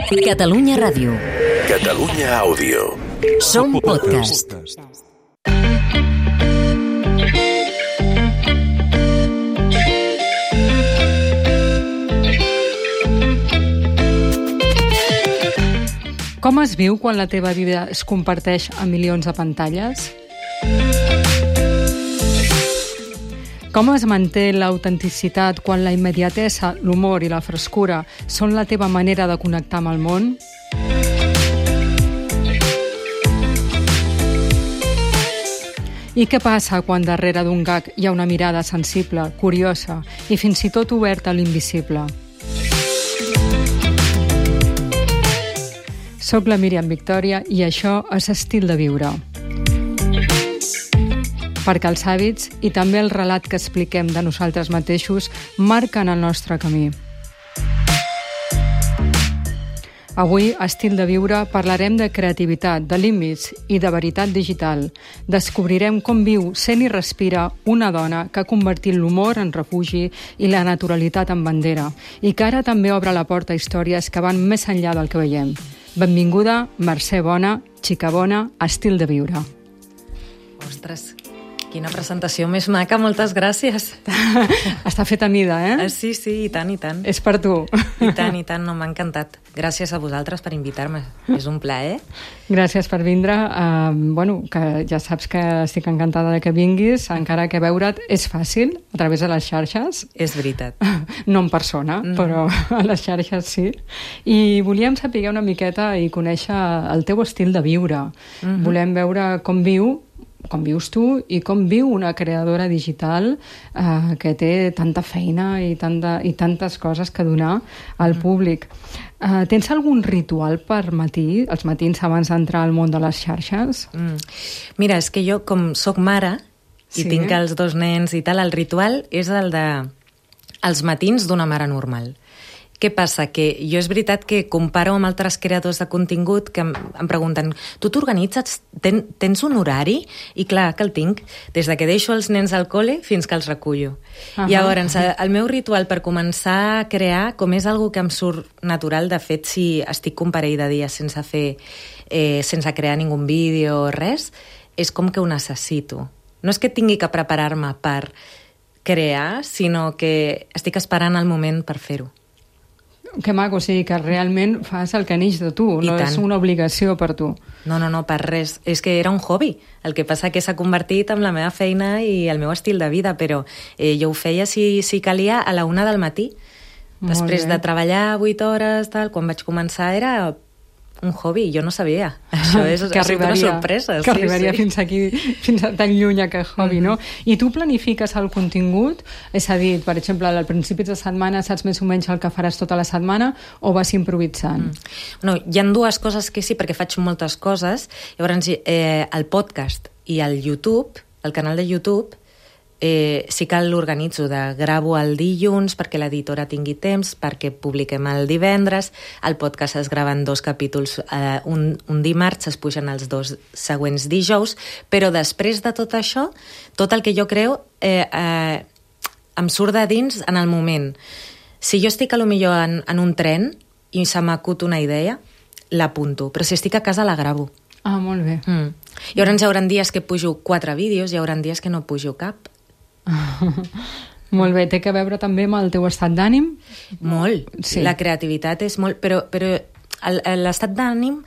Catalunya Ràdio. Catalunya Àudio. Som podcast. Com es viu quan la teva vida es comparteix a milions de pantalles? Com es manté l'autenticitat quan la immediatesa, l'humor i la frescura són la teva manera de connectar amb el món? I què passa quan darrere d'un gag hi ha una mirada sensible, curiosa i fins i tot oberta a l'invisible? Soc la Míriam Victòria i això és Estil de viure. Perquè els hàbits i també el relat que expliquem de nosaltres mateixos marquen el nostre camí. Avui, a Estil de viure, parlarem de creativitat, de límits i de veritat digital. Descobrirem com viu, sent i respira una dona que ha convertit l'humor en refugi i la naturalitat en bandera i que ara també obre la porta a històries que van més enllà del que veiem. Benvinguda, Mercè Bona, xica bona, a Estil de viure. Ostres, quina presentació més maca, moltes gràcies. Està fet a mida, eh? Sí, i tant, i tant. És per tu. I tant, no, m'ha encantat. Gràcies a vosaltres per invitar-me. És un plaer. Gràcies per vindre. Que ja saps que estic encantada de que vinguis, encara que veure't és fàcil, a través de les xarxes. És veritat. No en persona, però a les xarxes sí. I volíem saber una miqueta i conèixer el teu estil de viure. Volem veure com vius tu i com viu una creadora digital que té tanta feina i tantes coses que donar al públic. Tens algun ritual per matí, els matins abans d'entrar al món de les xarxes? Mira, és que jo, com soc mare i tinc els dos nens i tal, el ritual és el de els matins d'una mare normal. Què passa? Que jo és veritat que comparo amb altres creadors de contingut que em pregunten, tu t'organitzes, tens un horari? I clar, que el tinc, des de que deixo els nens al col·le fins que els recullo. Llavors, el meu ritual per començar a crear, com és algo que em surt natural, de fet, si estic un parell de dies sense crear ningú vídeo o res, és com que ho necessito. No és que tingui que preparar-me per crear, sinó que estic esperant el moment per fer-ho. Que maco, o sigui que realment fas el que neix de tu, no és una obligació per tu. No, per res. És que era un hobby. El que passa que s'ha convertit en la meva feina i el meu estil de vida, però jo ho feia si calia a la 1 del matí. Després de treballar 8 hores, quan vaig començar era un hobby, jo no sabia. Això és una sorpresa. Que arribaria fins aquí, fins a tan lluny aquest hobby, no? I tu planifiques el contingut? És a dir, per exemple, al principi de setmana saps més o menys el que faràs tota la setmana o vas improvisant? No, hi ha dues coses que sí, perquè faig moltes coses. Llavors, el podcast i el YouTube, el canal de YouTube, sí que l'organitzo, gravo el dilluns perquè l'editora tingui temps, perquè publiquem el divendres, el podcast es grava en 2 capítols, un dimarts, es pugen els 2 següents dijous, però després de tot això, tot el que jo creo em surt de dins en el moment. Si jo estic millor en un tren i se m'acut una idea, l'apunto, però si estic a casa la gravo. Ah, molt bé. Llavors hi haurà dies que pujo 4 vídeos, hi haurà dies que no pujo cap. Molt bé, té a veure també amb el teu estat d'ànim? Molt, sí. La creativitat és molt... Però l'estat d'ànim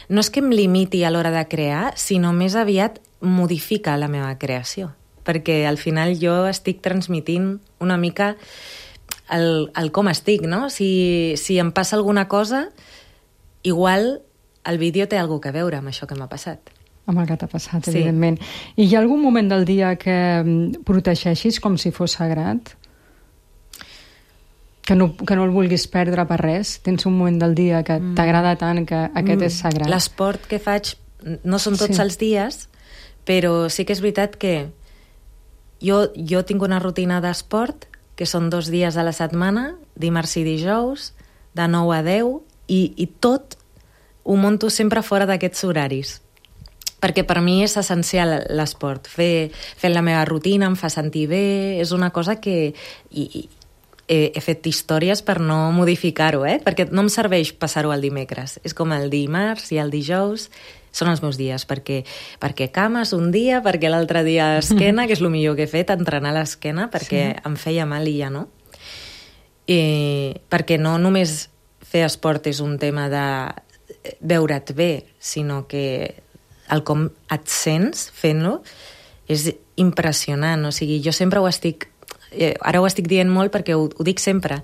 no és que em limiti a l'hora de crear, sinó més aviat modifica la meva creació. Perquè al final jo estic transmitint una mica el com estic, no? Si em passa alguna cosa, igual el vídeo té alguna cosa a veure amb això que m'ha passat. Amb el que t'ha passat, evidentment. I hi ha algun moment del dia que protegeixis com si fos sagrat? Que no el vulguis perdre per res? Tens un moment del dia que t'agrada tant que aquest és sagrat? L'esport que faig no són tots els dies, però sí que és veritat que jo tinc una rutina d'esport que són 2 dies a la setmana, dimarts i dijous, de 9 a 10, i tot ho monto sempre fora d'aquests horaris. Perquè per mi és essencial l'esport. Fer la meva rutina em fa sentir bé, és una cosa que he fet històries per no modificar-ho, perquè no em serveix passar-ho el dimecres. És com el dimarts i el dijous són els meus dies, perquè cames un dia, perquè l'altre dia esquena, que és el millor que he fet, entrenar l'esquena, perquè em feia mal i ja no. Perquè no només fer esport és un tema de veure't bé, sinó que el com et sents fent-lo és impressionant. O sigui, jo sempre ara ho estic dient molt perquè ho dic sempre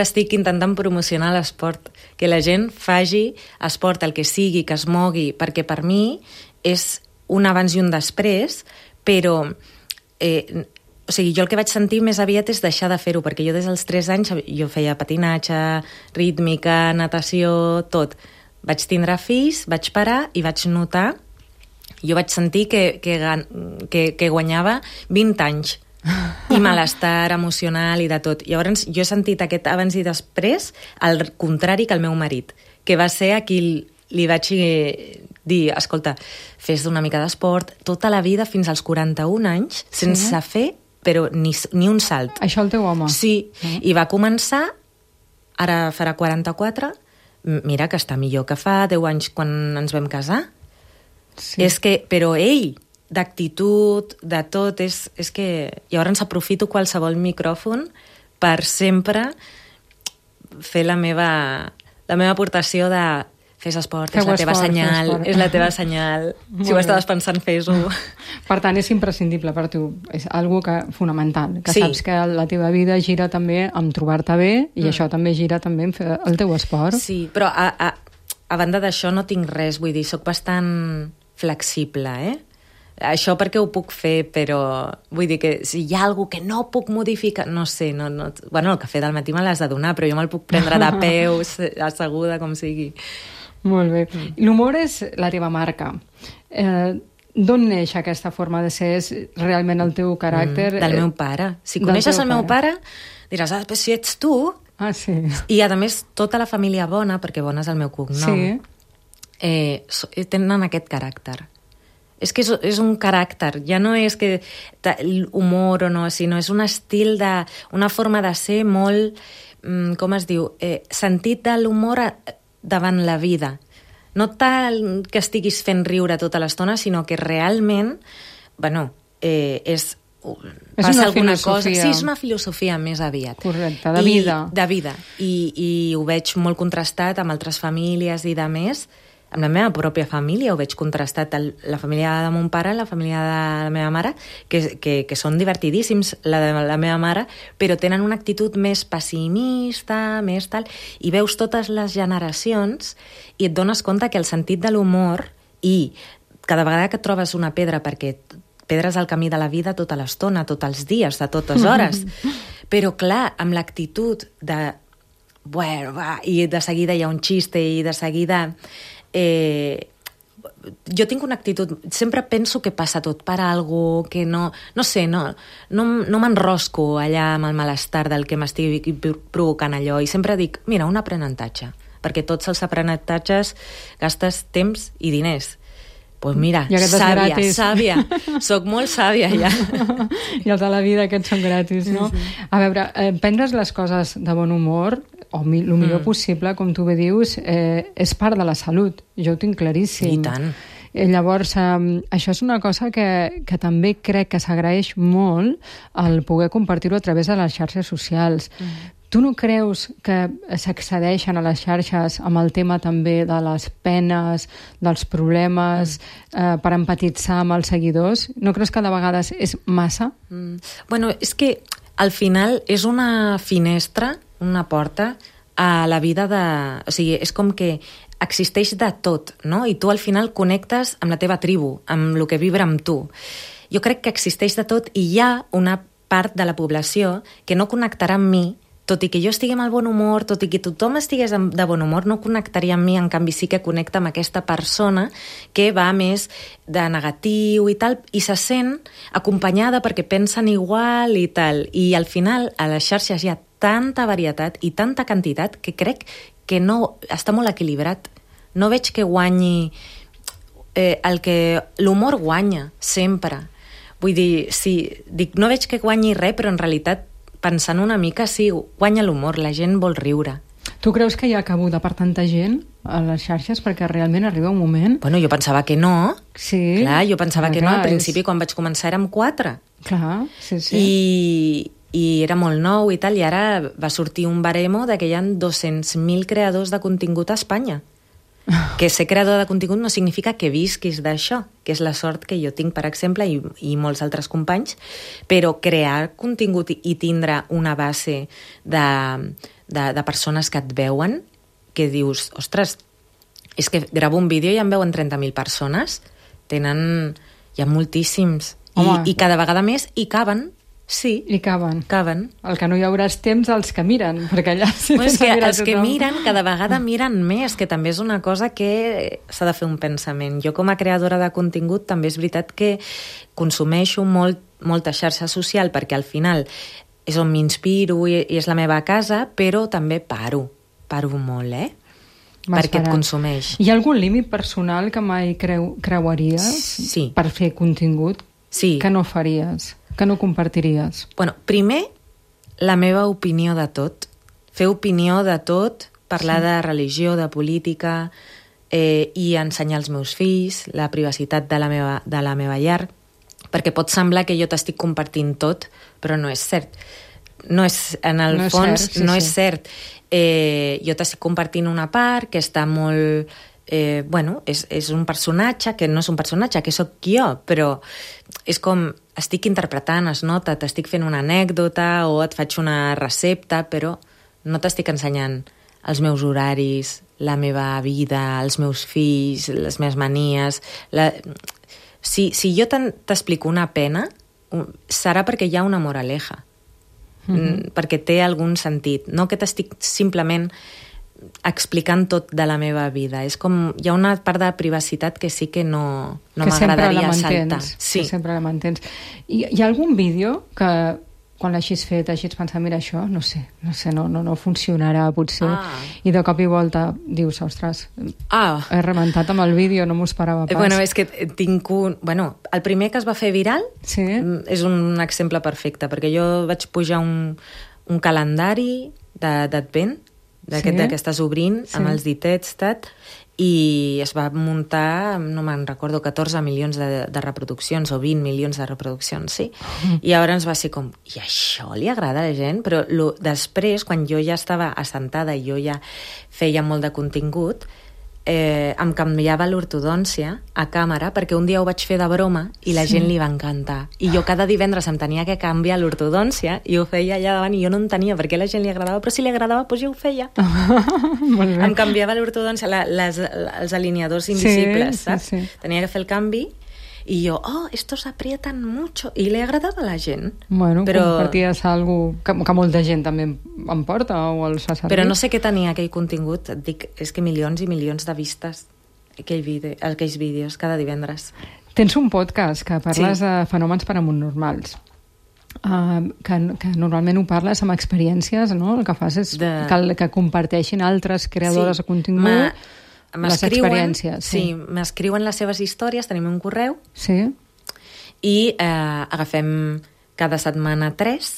estic intentant promocionar l'esport, que la gent faci esport, el que sigui, que es mogui, perquè per mi és un abans i un després, però o sigui, jo el que vaig sentir més aviat és deixar de fer-ho, perquè jo des dels 3 anys jo feia patinatge, rítmica, natació, tot. Vaig tindre fills, vaig parar i vaig notar, jo vaig sentir que guanyava 20 anys i malestar emocional i de tot. Llavors jo he sentit aquest abans i després al contrari que el meu marit, que va ser a qui li vaig dir, escolta, fes una mica d'esport tota la vida fins als 41 anys sense fer però ni un salt. Això el teu home? Sí, i va començar, ara farà 44, mira que està millor que fa 10 anys quan ens vam casar. Sí. És que, però ell, d'actitud, de tot, és que llavors aprofito qualsevol micròfon per sempre fer la meva aportació de fes esport, és la teva senyal, és la teva senyal. Si ho estaves pensant, fes-ho. Per tant, és imprescindible per tu, és algo fonamental, que saps que la teva vida gira també amb trobar-te bé i això també gira també en fer el teu esport. Sí, però a banda d'això no tinc res, vull dir, soc bastant flexible, Això perquè ho puc fer, però vull dir que si hi ha alguna que no puc modificar, no sé, bueno, el cafè del matí me l'has de donar, però jo me'l puc prendre de peus, asseguda, com sigui. Molt bé. L'humor és la teva marca. D'on neix aquesta forma de ser? És realment el teu caràcter? Del meu pare. Si coneixes el meu pare, diràs, però si ets tu... Ah, sí. I, a més, tota la família Bona, perquè Bona és el meu cognom, tenen aquest caràcter. És que és un caràcter, ja no és que humor o no, sinó és un estil, una forma de ser molt, com es diu, sentit de l'humor davant la vida. No tal que estiguis fent riure tota l'estona, sinó que realment, bueno, passa alguna cosa. Sí, és una filosofia més aviat. Correcte, de vida. De vida. I ho veig molt contrastat amb altres famílies i de més. Amb la meva pròpia família ho veig contrastat, la família de mon pare, la família de la meva mare, que són divertidíssims, la de la meva mare, però tenen una actitud més pessimista, més tal, i veus totes les generacions i et dones compte que el sentit de l'humor i cada vegada que trobes una pedra, perquè pedres al camí de la vida tota l'estona, tots els dies, de totes hores, però clar, amb l'actitud de... Bueno, va, i de seguida hi ha un xiste i de seguida... jo tinc una actitud, sempre penso que passa tot per algo, que no sé, no m'enrosco allà amb el malestar del que m'estigui provocant allò, i sempre dic, mira, un aprenentatge, perquè tots els aprenentatges gastes temps i diners. Doncs mira, sàvia, soc molt sàvia ja. I els de la vida aquests són gratis, no? A veure, prendre's les coses de bon humor, o el millor possible, com tu bé dius, és part de la salut. Jo ho tinc claríssim. I tant. Llavors, això és una cosa que també crec que s'agraeix molt el poder compartir-ho a través de les xarxes socials. Tu no creus que s'accedeixen a les xarxes amb el tema també de les penes, dels problemes, per empatitzar amb els seguidors? No creus que de vegades és massa? Bueno, és que al final és una finestra, una porta a la vida de... O sigui, és com que existeix de tot, no? I tu al final connectes amb la teva tribu, amb el que vibra amb tu. Jo crec que existeix de tot i hi ha una part de la població que no connectarà amb mi, tot i que jo estigui amb el bon humor, tot i que tothom estigués de bon humor, no connectaria amb mi, en canvi sí que connecta amb aquesta persona que va més de negatiu i tal, i se sent acompanyada perquè pensen igual i tal. I al final, a les xarxes hi ha tanta varietat i tanta quantitat que crec que no està molt equilibrat. No veig que guanyi l'humor guanya sempre. Vull dir, sí, dic, no veig que guanyi res, però en realitat pensant una mica, sí, guanya l'humor, la gent vol riure. Tu creus que hi ha cabuda per tanta gent a les xarxes perquè realment arriba un moment... Bueno, jo pensava que no. Sí. Clar, jo pensava que no. Al principi, quan vaig començar, érem 4. Clar, sí. I era molt nou i tal, i ara va sortir un baremo de que hi ha 200.000 creadors de contingut a Espanya. Que ser creador de contingut no significa que visquis d'això, que és la sort que jo tinc, per exemple, i molts altres companys, però crear contingut i tindre una base de persones que et veuen, que dius, ostres, és que gravo un vídeo i em veuen 30.000 persones, hi ha moltíssims, i cada vegada més, i caben. Sí. I caben. El que no hi haurà temps els que miren, perquè allà sí que els que miren cada vegada miren més, que també és una cosa que s'ha de fer un pensament. Jo com a creadora de contingut també és veritat que consumeixo molta xarxa social perquè al final és on m'inspiro i és la meva casa, però també paro molt, perquè et consumeix. Hi ha algun límit personal que mai creuaries per fer contingut que no faries? Que no compartiries? Bueno, primer, la meva opinió de tot. Fer opinió de tot, parlar de religió, de política, i ensenyar als meus fills, la privacitat de la meva llar, perquè pot semblar que jo t'estic compartint tot, però no és cert. No és cert. Jo t'estic compartint una part que està molt... és un personatge que no és un personatge, que sóc jo, però és com estic interpretant, es nota, t'estic fent una anècdota o et faig una recepta, però no t'estic ensenyant els meus horaris, la meva vida, els meus fills, les meves manies... Si jo t'explico una pena, serà perquè hi ha una moraleja, perquè té algun sentit, no que t'estic simplement explicant tot de la meva vida. És com, hi ha una part de privacitat que sí que no m'agradaria saltar. Sí. Que sempre la mantens. Hi ha algun vídeo que quan l'hagis fet hagis pensat, mira, això, no sé, no funcionarà potser, i de cop i volta dius, ostres, he rebentat amb el vídeo, no m'ho esperava pas. Bueno, és que tinc el primer que es va fer viral és un exemple perfecte, perquè jo vaig pujar un calendari d'advent, que estàs obrint amb els ditets, i es va muntar, no me'n recordo, 14 milions de reproduccions o 20 milions de reproduccions, sí? I llavors va ser com, i això li agrada a la gent? Però després, quan jo ja estava assentada i jo ja feia molt de contingut, em canviava l'ortodòncia a càmera perquè un dia ho vaig fer de broma i la gent li va encantar. I jo cada divendres em tenia que canviar l'ortodòncia i ho feia allà davant i jo no entenia per què a la gent li agradava, però si li agradava, doncs jo ho feia. Em canviava l'ortodòncia, els alineadors invisibles, saps? Tenia que fer el canvi i jo, estos aprietan mucho, i li agradava a la gent. Bueno, comparties algo que molta gent també em porta o els fa servir. Però no sé què tenia aquell contingut, et dic, és que milions i milions de vistes aquells vídeos cada divendres. Tens un podcast que parles de fenòmens paranormals, que normalment ho parles amb experiències, no? El que fas és que comparteixin altres creadores de contingut les experiències. Sí, m'escriuen les seves històries, tenim un correu, i agafem cada setmana 3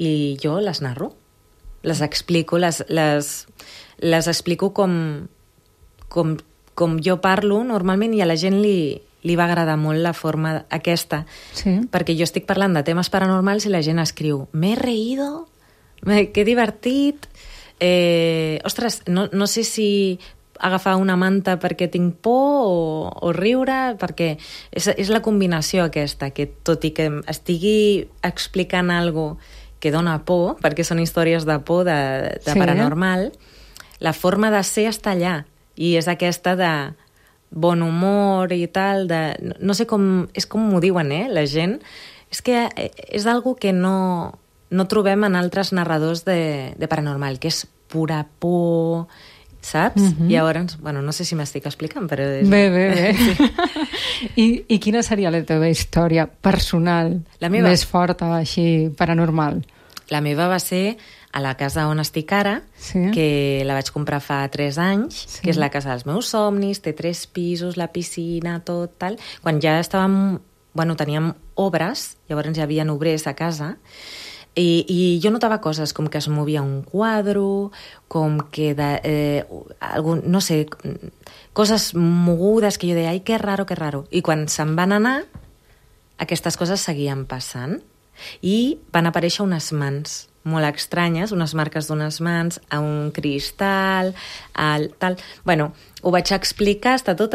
i jo les narro, les explico, les explico com jo parlo normalment, i a la gent li va agradar molt la forma aquesta, perquè jo estic parlant de temes paranormals i la gent escriu, m'he reído, que divertit, ostres, no sé si agafar una manta perquè tinc por o riure, perquè és la combinació aquesta, que tot i que estigui explicant algo que dona por, perquè són històries de por, de paranormal, la forma de ser està allà, i és aquesta de bon humor i tal, no sé com, és com m'ho diuen, la gent, és que és algo que no trobem en altres narradors de paranormal, que és pura por, saps? I llavors, no sé si m'estic explicant, però... Bé. I quina seria la teva història personal més forta, així, paranormal? La meva va ser a la casa on estic ara, que la vaig comprar fa 3 anys, que és la casa dels meus somnis, té 3 pisos, la piscina, tot, tal. Quan ja estàvem... teníem obres, llavors hi havia obrers a casa, I jo notava coses com que es movia un quadre, com que no sé, coses mogudes que jo deia, ai, que raro, que raro. I quan se'n van anar, aquestes coses seguien passant i van aparèixer unes mans molt estranyes, unes marques d'unes mans, a un cristal, tal... Bueno, ho vaig explicar, està tot...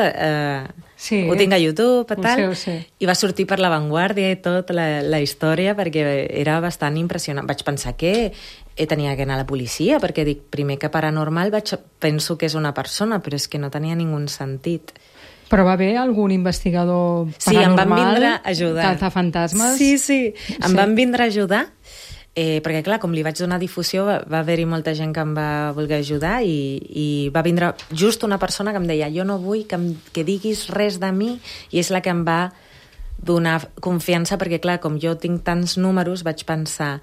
Sí, ho tinc a YouTube, tal, ho sé. i va sortir per La Vanguardia i tot la història perquè era bastant impressionant. Vaig pensar que tenia que anar a la policia, perquè dic, primer que paranormal penso que és una persona, però és que no tenia ningú sentit. Però va haver algun investigador paranormal? Sí, em van vindre a ajudar. De fantasmes? Sí. Em van vindre a ajudar, perquè clar, com li vaig donar difusió, va haver-hi molta gent que em va voler ajudar i va vindre just una persona que em deia, jo no vull que diguis res de mi, i és la que em va donar confiança, perquè clar, com jo tinc tants números, vaig pensar...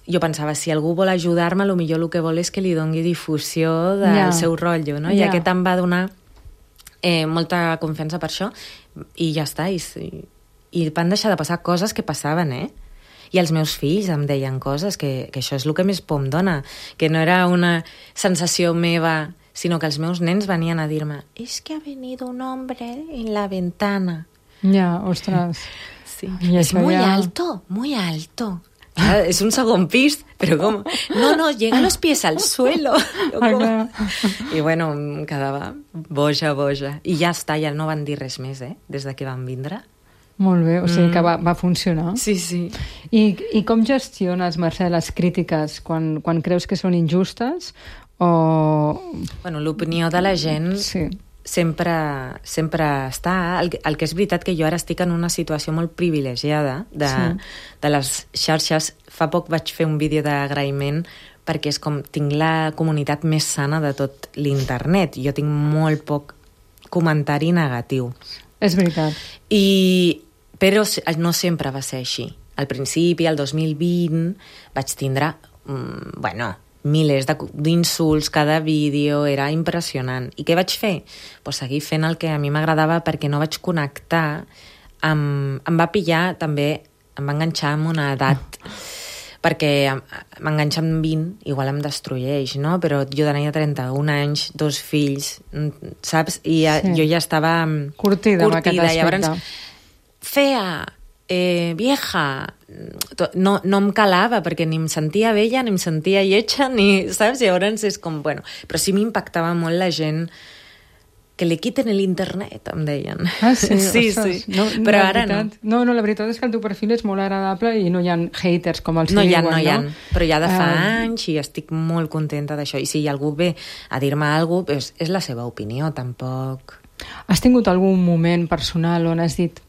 Jo pensava, si algú vol ajudar-me, potser el que vol és que li doni difusió del seu rotllo, no? I aquest em va donar molta confiança per això, i ja està, i van deixar de passar coses que passaven, I els meus fills em deien coses que això és el que més por em dona, que no era una sensació meva, sinó que els meus nens venien a dir-me «Es que ha venido un hombre en la ventana». Ja, ostres. Sí. És muy alto, muy alto. És un segon pis, però com? No, llega los pies al suelo. I bueno, em quedava boja. I ja està, ja no van dir res més, des de que van vindre. Molt bé, o sigui que va funcionar. Sí. I com gestiones, Mercè, les crítiques quan creus que són injustes o... Bueno, l'opinió de la gent sempre està... El que és veritat que jo ara estic en una situació molt privilegiada de les xarxes. Fa poc vaig fer un vídeo d'agraïment perquè és com tinc la comunitat més sana de tot l'internet. Jo tinc molt poc comentari negatiu. És veritat. Però no sempre va ser així. Al principi, el 2020, vaig tindre, milers d'insults, cada vídeo, era impressionant. I què vaig fer? Pues seguir fent el que a mi m'agradava perquè no vaig connectar amb... Em va pillar també, em va enganxar amb una edat, perquè m'enganxa amb 20, igual em destrueix, no? Però jo tenia 31 anys, 2 fills, saps? I jo ja estava curtida amb aquest aspecte. Llavors, fea, vieja, no em calava perquè ni em sentia vella, ni em sentia lletja, saps? Llavors és com, bueno, però sí m'impactava molt la gent que li quiten l'internet, em deien. Ah, sí? Sí. Però ara no. No, la veritat és que el teu perfil és molt agradable i no hi ha haters, com els no diuen, no hi ha. Però ja de fa anys i estic molt contenta d'això. I si algú ve a dir-me alguna cosa, és la seva opinió, tampoc... Has tingut algun moment personal on has dit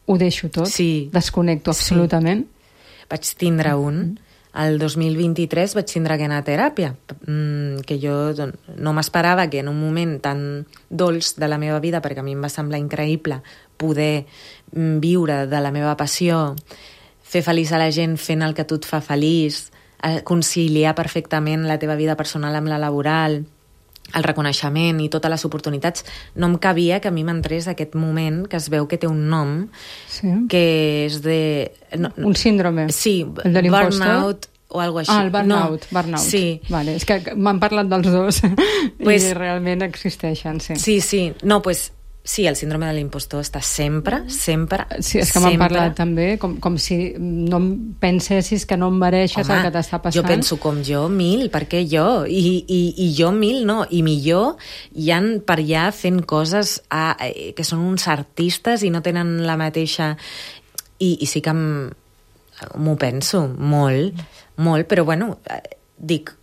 ho deixo tot? Sí. Desconnecto absolutament? Sí. Vaig tindre un... El 2023 vaig tindre que anar a teràpia, que jo no m'esperava que en un moment tan dolç de la meva vida, perquè a mi em va semblar increïble poder viure de la meva passió, fer feliç a la gent fent el que a tu et fa feliç, conciliar perfectament la teva vida personal amb la laboral, el reconeixement i totes les oportunitats, no em cabia que a mi m'entrés aquest moment que es veu que té un nom, que és de... Un síndrome. Sí, el de burnout o alguna cosa així. Ah, el burnout. Sí. Vale, és que m'han parlat dels dos i realment existeixen, sí. Sí. No, sí, el síndrome de l'impostor està sempre. Sí, és que m'han parlat també, com si no pensessis que no em mereixes el que t'està passant. Jo penso com jo, 1000, per què jo? I jo 1000 no, i millor hi ha per allà fent coses que són uns artistes i no tenen la mateixa... I sí que m'ho penso molt, però bueno... Dic,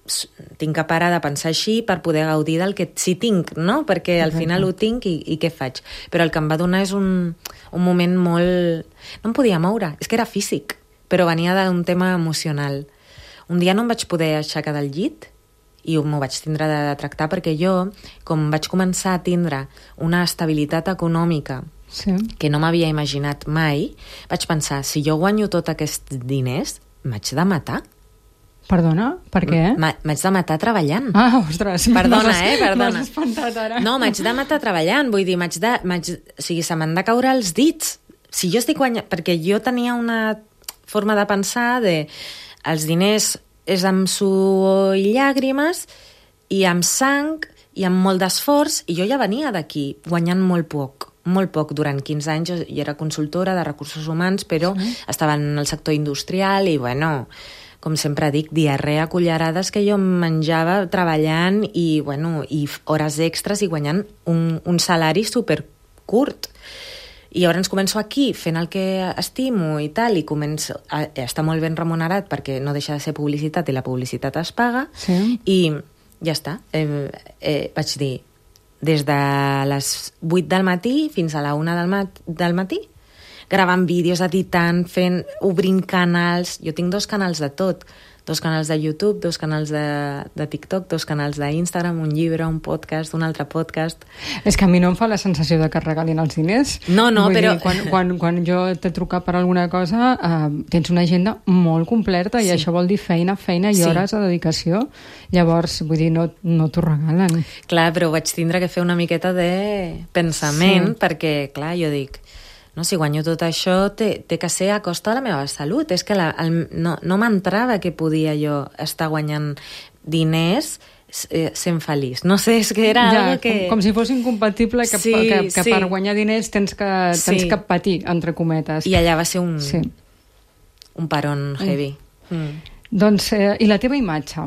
tinc que parar de pensar així per poder gaudir del que sí tinc, no? Perquè al final ho tinc i què faig? Però el que em va donar és un moment molt... No em podia moure, és que era físic, però venia d'un tema emocional. Un dia no em vaig poder aixecar del llit i m'ho vaig tindre de tractar perquè jo, com vaig començar a tindre una estabilitat econòmica que no m'havia imaginat mai, vaig pensar, si jo guanyo tots aquests diners, m'haig de matar. Perdona? Per què? M'haig de matar treballant. Ah, ostres. Perdona. M'has espantat ara. No, m'haig de matar treballant. Vull dir, o sigui, se m'han de caure els dits. Si jo estic guanyant... Perquè jo tenia una forma de pensar de... els diners és amb suor i llàgrimes, i amb sang, i amb molt d'esforç, i jo ja venia d'aquí guanyant molt poc. Durant 15 anys jo era consultora de recursos humans, però estava en el sector industrial i, bueno, com sempre dic, diarrea a cullerades que jo menjava treballant i hores extres i guanyant un salari supercurt. I llavors començo aquí fent el que estimo i tal, i començo a estar molt ben remunerat perquè no deixa de ser publicitat i la publicitat es paga, i ja està. Vaig dir, des de les 8 del matí fins a la 1 del matí, gravant vídeos, editant, obrint canals. Jo tinc 2 canals de tot. 2 canals de YouTube, 2 canals de TikTok, 2 canals d'Instagram, un llibre, un podcast, un altre podcast. És que a mi no em fa la sensació de que regalin els diners. No, però... Quan jo t'he trucat per alguna cosa, tens una agenda molt completa i això vol dir feina i hores de dedicació. Llavors, vull dir, no t'ho regalen. Clar, però vaig tindre que fer una miqueta de pensament, perquè, clar, jo dic... No, si guanyo tot això, té que ser a costa de la meva salut. És que no m'entrava que podia jo estar guanyant diners sent feliç. No sé, és que era algo que... Com si fos incompatible que per guanyar diners tens que patir, entre cometes. I allà va ser un parón heavy. Doncs, i la teva imatge?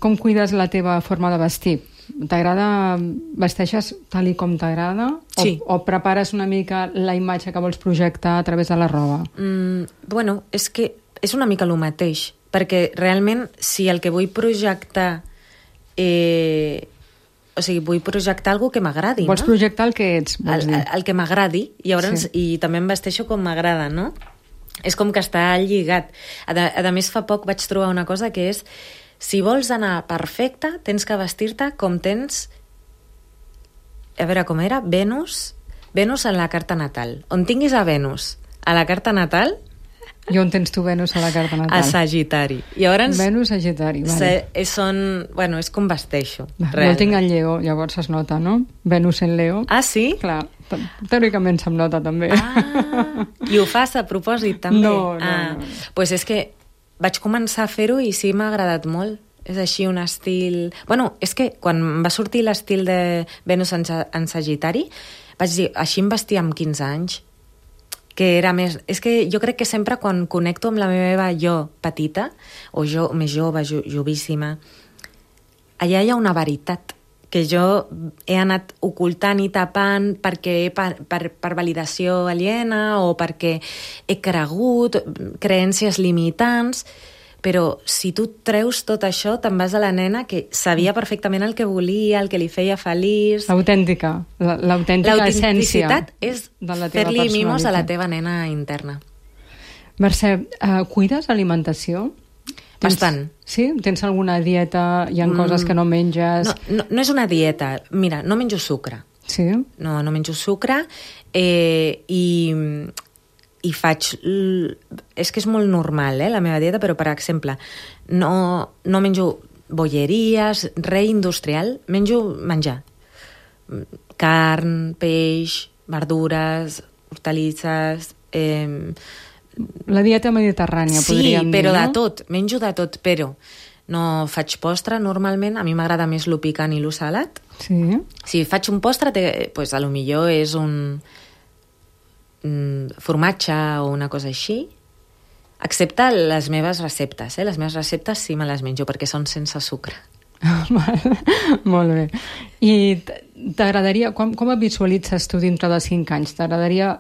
Com cuides la teva forma de vestir? T'agrada, vesteixes tal i com t'agrada? Sí. O prepares una mica la imatge que vols projectar a través de la roba? Bueno, és que és una mica el mateix, perquè realment si el que vull projectar vull projectar alguna que m'agradi, Vols projectar el que ets, vols dir? El que m'agradi, i també em vesteixo com m'agrada, no? És com que està lligat. A més, fa poc vaig trobar una cosa que és: si vols anar perfecta, tens que vestir-te com tens... A veure, com era? Venus en la carta natal. On tinguis a Venus a la carta natal... I on tens tu Venus a la carta natal? A Sagitari. Llavors, Venus, Sagitari, vale. És com vesteixo. Jo el tinc en Lleó, llavors es nota, no? Venus en Leo. Ah, sí? Clar, teòricament se'm nota, també. I ho fas a propòsit, també? No. Pues és que vaig començar a fer-ho i sí m'ha agradat molt. És així un estil... Bueno, és que quan va sortir l'estil de Venus en Sagitari, vaig dir, així em vestia amb 15 anys, que era més... És que jo crec que sempre quan connecto amb la meva jo petita, o jo més jove, jovíssima, allà hi ha una veritat que jo he anat ocultant i tapant perquè per validació aliena o perquè he cregut creences limitants, però si tu treus tot això te'n vas a la nena que sabia perfectament el que volia, el que li feia feliç. L'autèntica essència. L'autenticitat és fer-li mimos a la teva nena interna. Mercè, cuides alimentació? Bastant. Sí? Tens alguna dieta? Hi ha coses que no menges? No és una dieta. Mira, no menjo sucre. Sí? No menjo sucre i faig... És que és molt normal, la meva dieta, però, per exemple, no menjo bolleries, res industrial, menjo menjar. Carn, peix, verdures, hortalisses... La dieta mediterrània, podríem dir, no? Sí, però de tot, menjo de tot, però no faig postre normalment, a mi m'agrada més lo picant i lo salat. Sí. Si faig un postre, pues, a lo millor és un formatge o una cosa així, excepte les meves receptes. Les meves receptes sí me les menjo, perquè són sense sucre. Molt bé. I t'agradaria, com et visualitzes tu dintre de 5 anys? T'agradaria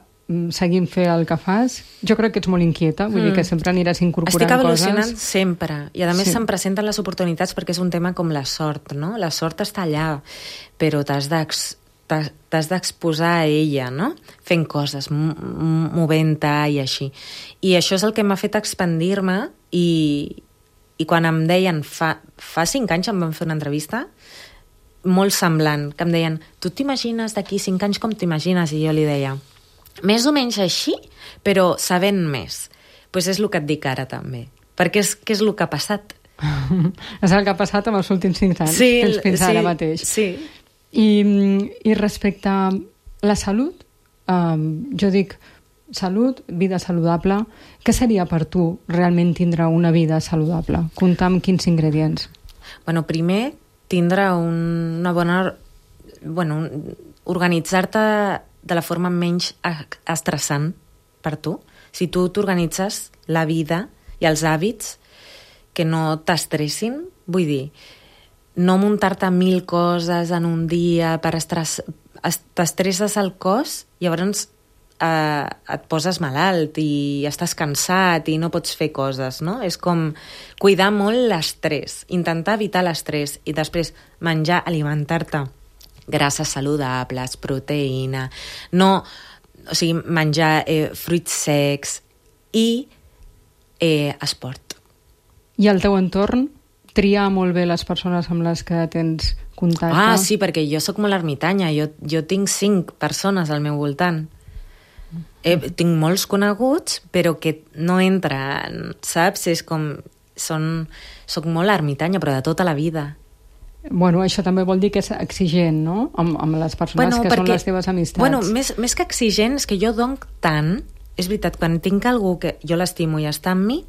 seguint fer el que fas? Jo crec que ets molt inquieta, vull dir que sempre aniràs incorporant coses. Estic evolucionant sempre, i a més se'm presenten les oportunitats perquè és un tema com la sort, no? La sort està allà, però t'has d'exposar a ella, no? Fent coses, movent-te i així. I això és el que m'ha fet expandir-me i quan em deien, fa 5 anys em van fer una entrevista molt semblant, que em deien, tu t'imagines d'aquí 5 anys com t'imagines? I jo li deia, més o menys així, però sabent més. Doncs és el que et dic ara, també. Perquè és el que ha passat. És el que ha passat amb els últims 5 anys, fins ara mateix. Sí. I respecte a la salut, jo dic, salut, vida saludable. Què seria per tu realment tindre una vida saludable? Compta'm quins ingredients. Bueno, primer, tindre una bona... Bueno, organitzar-te de la forma menys estressant per tu. Si tu t'organitzes la vida i els hàbits que no t'estressin, vull dir, no muntar-te 1000 coses en un dia per t'estresses el cos, llavors et poses malalt i estàs cansat i no pots fer coses, no? És com cuidar molt l'estrès, intentar evitar l'estrès i després menjar, alimentar-te grasses saludables, proteïna, o sigui, menjar fruits secs i esport. I al teu entorn, triar molt bé les persones amb les que tens contacte? Ah, sí, perquè jo sóc molt ermitanya, jo tinc 5 persones al meu voltant. Tinc molts coneguts, però que no entren, saps? És com... Soc molt ermitanya, però de tota la vida. Bueno, això també vol dir que és exigent, no? Amb les persones que són les teves amistats. Bueno, més que exigent, és que jo dono tant... És veritat, quan tinc algú que jo l'estimo i està amb mi,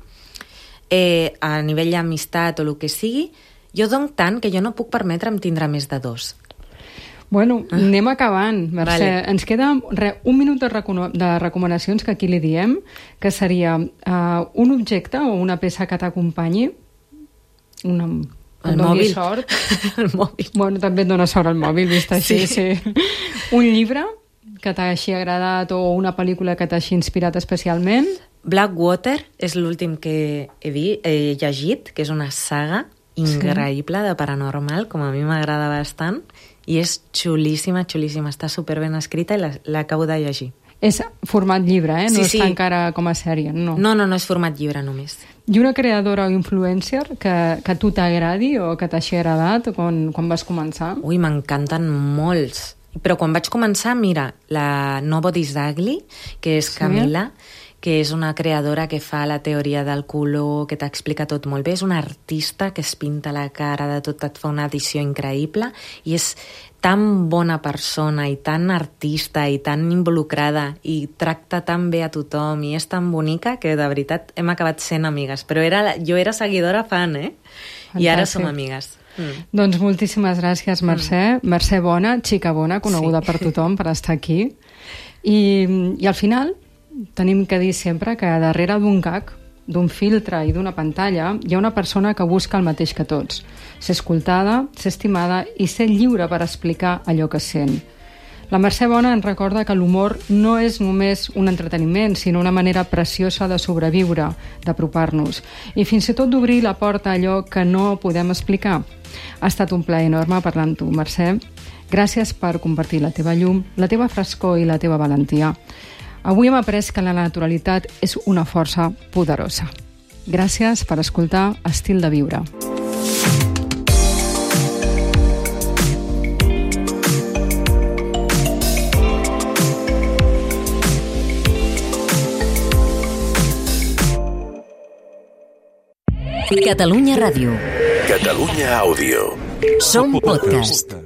a nivell d'amistat o el que sigui, jo dono tant que jo no puc permetre'm tindre més de 2. Bueno, anem acabant, Mercè. Vale. Ens queda un minut de recomanacions que aquí li diem, que seria un objecte o una peça que t'acompanyi, el mòbil. Sort. El mòbil. Bueno, també et dona sort el mòbil, vist així, sí. Un llibre que t'hagi agradat o una pel·lícula que t'hagi inspirat especialment? Blackwater és l'últim que he llegit, que és una saga increïble de paranormal, com a mi m'agrada bastant, i és xulíssima, xulíssima. Està superben escrita i l'acabo de llegir. És format llibre, no Sí. està encara com a sèrie, no? No, és format llibre només. I una creadora o influencer que a tu t'agradi o que t'hagi agradat quan vas començar? Ui, m'encanten molts. Però quan vaig començar, mira, la Nobody's Ugly, que és Camila, que és una creadora que fa la teoria del color, que t'explica tot molt bé. És una artista que es pinta la cara de tot, et fa una edició increïble i és tan bona persona i tan artista i tan involucrada i tracta tan bé a tothom i és tan bonica que de veritat hem acabat sent amigues. Però jo era seguidora fan, I ara som amigues. Doncs moltíssimes gràcies, Mercè. Mercè Bona, xica bona, coneguda per tothom, per estar aquí. I al final tenim que dir sempre que darrere d'un gag, d'un filtre i d'una pantalla hi ha una persona que busca el mateix que tots. Ser escoltada, ser estimada i ser lliure per explicar allò que sent. La Mercè Bona ens recorda que l'humor no és només un entreteniment, sinó una manera preciosa de sobreviure, d'apropar-nos i fins i tot d'obrir la porta a allò que no podem explicar. Ha estat un plaer enorme parlar amb tu, Mercè. Gràcies per compartir la teva llum, la teva frescor i la teva valentia. Avui hem après que la naturalitat és una força poderosa. Gràcies per escoltar Estil de Viure. Catalunya Ràdio. Catalunya Àudio. Som podcast.